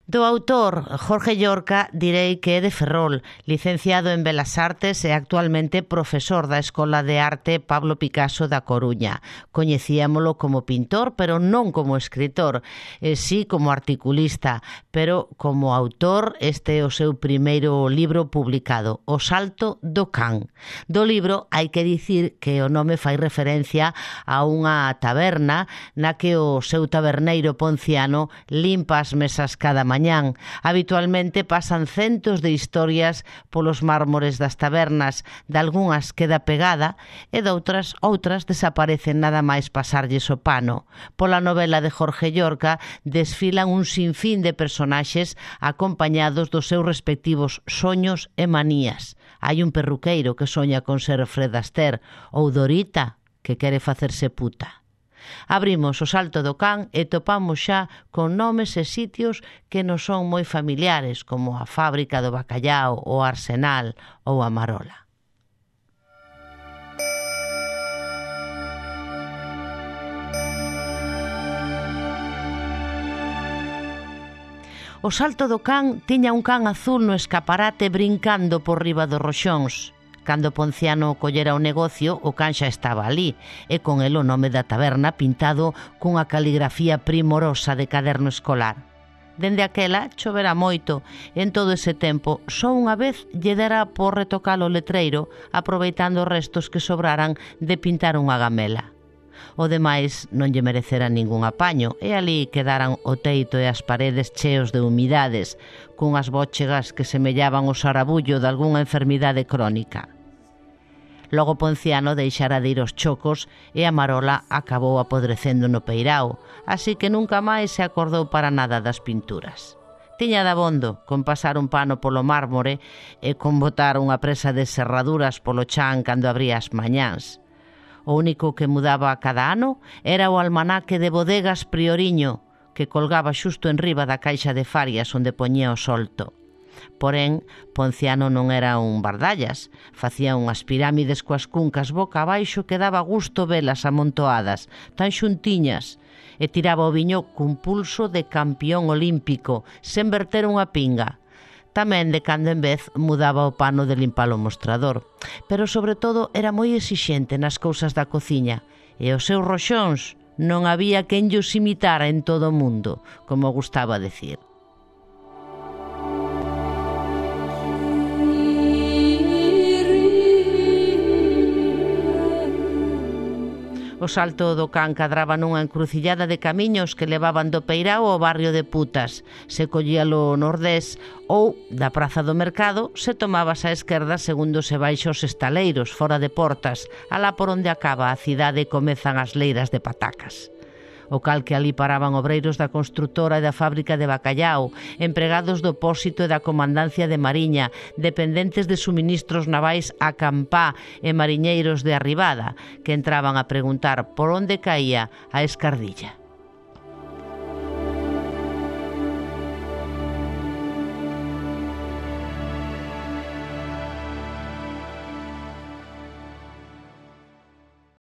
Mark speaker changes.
Speaker 1: Do autor Jorge Llorca direi que é de Ferrol, licenciado en Belas Artes e actualmente profesor da Escola de Arte Pablo Picasso da Coruña. Coñecíamolo como pintor, pero non como escritor, sí como articulista, pero como autor este é o seu primeiro libro publicado, O Salto do Can. Do libro hai que dicir que o nome fai referencia a unha taberna na que o seu taberneiro Ponciano limpa as mesas cada mañá. Habitualmente pasan centos de historias polos mármores das tabernas, de algunhas queda pegada e de outras desaparecen nada máis pasarlles o pano. Pola novela de Jorge Llorca desfilan un sinfín de personaxes acompañados dos seus respectivos soños e manías. Hai un perruqueiro que soña con ser Fred Astaire ou Dorita que quere facerse puta. Abrimos o Salto do Can e topamos xa con nomes e sitios que nos son moi familiares, como a Fábrica do Bacallao, o Arsenal ou a Marola. O Salto do Can tiña un can azul no escaparate brincando por riba dos roxóns. Cando Ponciano collera o negocio, o can xa estaba ali, e con el o nome da taberna pintado cunha caligrafía primorosa de caderno escolar. Dende aquela, chovera moito, e en todo ese tempo, só unha vez lle dera por retocar o letreiro, aproveitando os restos que sobraran de pintar unha gamela. O demais non lle merecera ningún apaño, e ali quedaran o teito e as paredes cheos de humidades, cunhas bóchegas que semellaban o sarabullo de algunha enfermidade crónica. Logo Ponciano deixara de ir aos chocos e a Marola acabou apodrecendo no peirao, así que nunca máis se acordou para nada das pinturas. Tiña dabondo con pasar un pano polo mármore e con botar unha presa de serraduras polo chan cando abría as mañáns. O único que mudaba cada ano era o almanaque de bodegas Prioriño, que colgaba xusto en riba da caixa de farias onde poñía o solto. Porén, Ponciano non era un bardallas, facía unhas pirámides coas cuncas boca abaixo que daba gusto velas amontoadas, tan xuntiñas, e tiraba o viño cun pulso de campión olímpico, sen verter unha pinga. Tamén de cando en vez mudaba o pano de limpar o mostrador, pero sobre todo era moi exixente nas cousas da cociña, e os seus roxóns non había quen llos imitara en todo o mundo, como gustaba decir. O Salto do Can cadraba nunha encrucillada de camiños que levaban do Peirao ao barrio de Putas. Se collíalo nordés ou da Praza do Mercado se tomabas á esquerda segundo se baixa os estaleiros, fora de Portas, alá por onde acaba a cidade e comezan as leiras de patacas. O cal que ali paraban obreiros da construtora e da fábrica de bacallao, empregados do Pósito e da Comandancia de Mariña, dependentes de suministros navais a Campá e mariñeiros de Arribada, que entraban a preguntar por onde caía a escardilla.